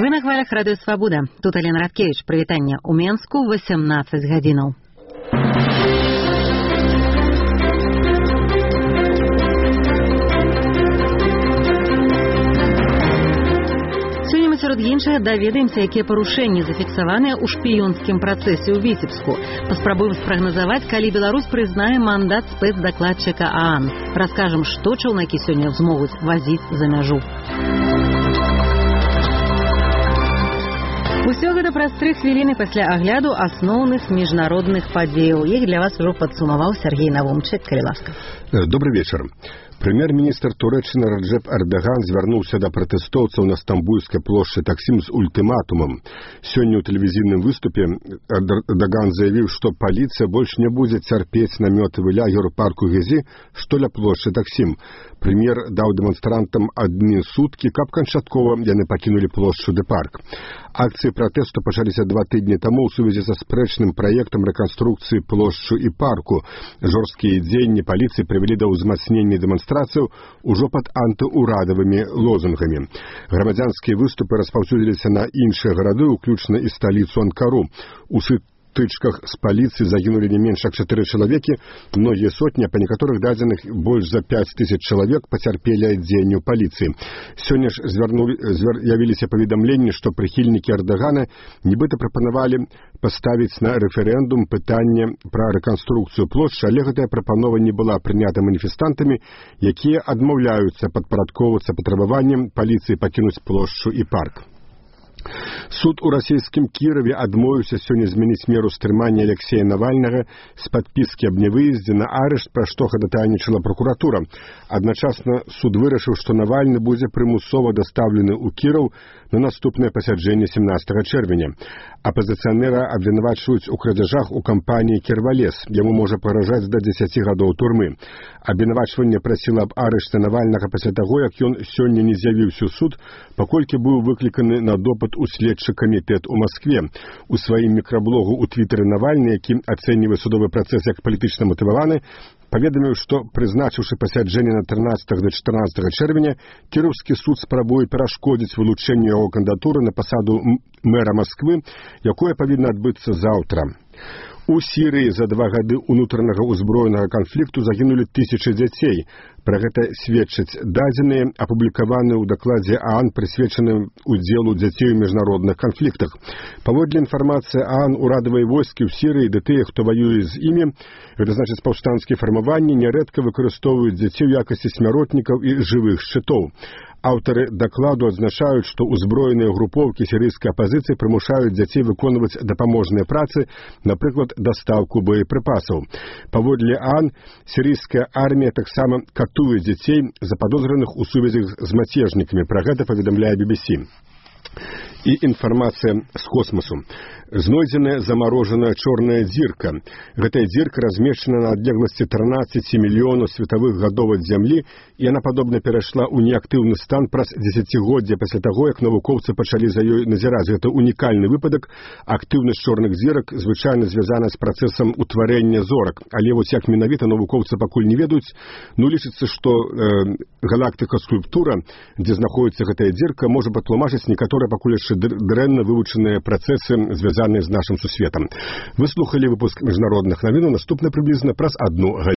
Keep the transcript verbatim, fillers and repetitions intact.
Вы на хвалях Радыё Свабода. Тут Алена Радкевич. Прывітанне ў Менску восемнадцать гадзінаў. Сёння мы сярод іншага даведаемся, якія парушэнні зафіксаваныя ў шпіёнскім працэсе ў Віцебску. Паспрабуем спрагназаваць, калі Беларусь прызнае мандат спецдакладчыка ААН. Раскажам, што чаўнакі сёння змогуць вазіць за мяжу. Усё гэта праз тры хвіліны пасля агляду асноўных міжнародных падзеяў. Іх для вас ужо падсумаваў Сергей Навумчык, калі ласка. Добрый вечер. Прэм'ер-міністр Турэччыны Раджэп Эрдаган звярнуўся да пратэстоўцаў на Стамбульскай плошчы Таксім з ультыматумам. Сёння ў тэлевізійным выступе Эрдаган заявіў, што паліцыя больш не будзе цярпець намётавы лагер у парку Гezi, што ля плошчы Таксім. Прэм'ер даў дэманстрантам адны суткі, каб канчаткова яны пакінулі плошчу ды парк. Акцыі пратэсту пачаліся два тыдні таму ў сувязі са спрэчным праектам рэканструкцыі плошчу і парку. Жорсткія дзеянні паліцыі прывялі да ўзмацнення дэманстрацыяў ужо пад антыурадавымі лозунгамі. Грамадзянскія выступы распаўсюдзіліся на іншыя гарады, уключна і сталіцу Анкару. У тычках з паліцыі загінулі не менш як чатыры чалавекі, многія сотні, па некаторых дадзеных больш за пяць тысяч чалавек пацярпелі ад дзеянняў паліцыі. Сёння ж звярнулі, звяр, явіліся паведамленні, што прыхільнікі Эрдагана нібыта прапанавалі паставіць на рэферэндум пытанне пра рэканструкцыю плошчы, але гэтая прапанова не была прынята маніфестантамі, якія адмаўляюцца падпарадкоўвацца патрабаваннем паліцыі пакінуць плошчу і парк. Суд у расійскім Кіраве адмовіўся сёння змяніць меру стрымання Алексея Навальнага з падпіскі аб нявыездзе на арышт, пра што хадатайнічала пракуратура. Адначасна суд вырашыў, што Навальны будзе прымусова дастаўлены ў Кіраў на наступнае пасяджэнне семнадцатага чэрвеня. Апазіцыянера абвінавачваюць у крадзяжах у кампаніі «Кірвалес». Яму можа пагражаць да дзесяці гадоў турмы. Абвінавачванне прасіла аб арышце Навальнага пасля таго, як ён сёння не з'явіўся ў суд, паколькі быў выкліканы на допыт у следчы камітэт у Маскве. У сваім мікраблогу ў твітары Навальны, які ацэньвае судовы працэс як палітычна матываваны, паведаміў, што, прызначыўшы пасяджэнне на трынаццатага да чатырнаццатага чэрвеня, Кіроўскі суд спрабуе перашкодзіць вылучэнню яго кандыдатуры на пасаду мэра Масквы, якое павінна адбыцца заўтра. У Сірыі за два гады ўнутранага ўзброенага канфлікту загінулі тысячы дзяцей. Пра гэта сведчаць дадзеныя, апублікаваныя ў дакладзе ААН, прысвечаным удзелу дзяцей у міжнародных канфліктах. Паводле інфармацыі ААН, урадавыя войскі ў Сірыі ды тыя, хто ваюе з імі, гэта значыць паўстанцкія фармаванні, нярэдка выкарыстоўваюць дзяцей у якасці смяротнікаў і жывых шчытоў. Аўтары дакладу адзначаюць, што ўзброеныя групоўкі сірыйскай апазіцыі прымушаюць дзяцей выконваць дапаможныя працы, напрыклад, дастаўку боепрыпасаў. Паводле ААН, сірыйская армія таксама катуе дзяцей, западозраных у сувязях з мацежнікамі. Пра гэта паведамляе би би сі. І інфармацыя з космасу. Знойдзеная замарожаная чорная дзірка. Гэтая дзірка размешчана на адлегласці трынаццаць мільёнаў светавых гадоў ад Зямлі, і яна падобна перайшла ў неактыўны стан праз дзесяцігоддзя пасля таго, як навукоўцы пачалі за ёй назіраць. Гэта унікальны выпадак. Актыўнасць чорных дзірак звычайна звязана з працэсам утварэння зорак, але вось як менавіта навукоўцы пакуль не ведаюць. Ну, лічыцца, што э, галактыка-скульптура, дзе знаходіцца гэтая дзірка, можа патлумачыць некаторыя пакуль яшчэ дрэнна вывучаныя працэсы, звязаныя з нашым сусветам. Вы слухалі выпуск міжнародных навін, наступны прыблізна праз адну гадзіну.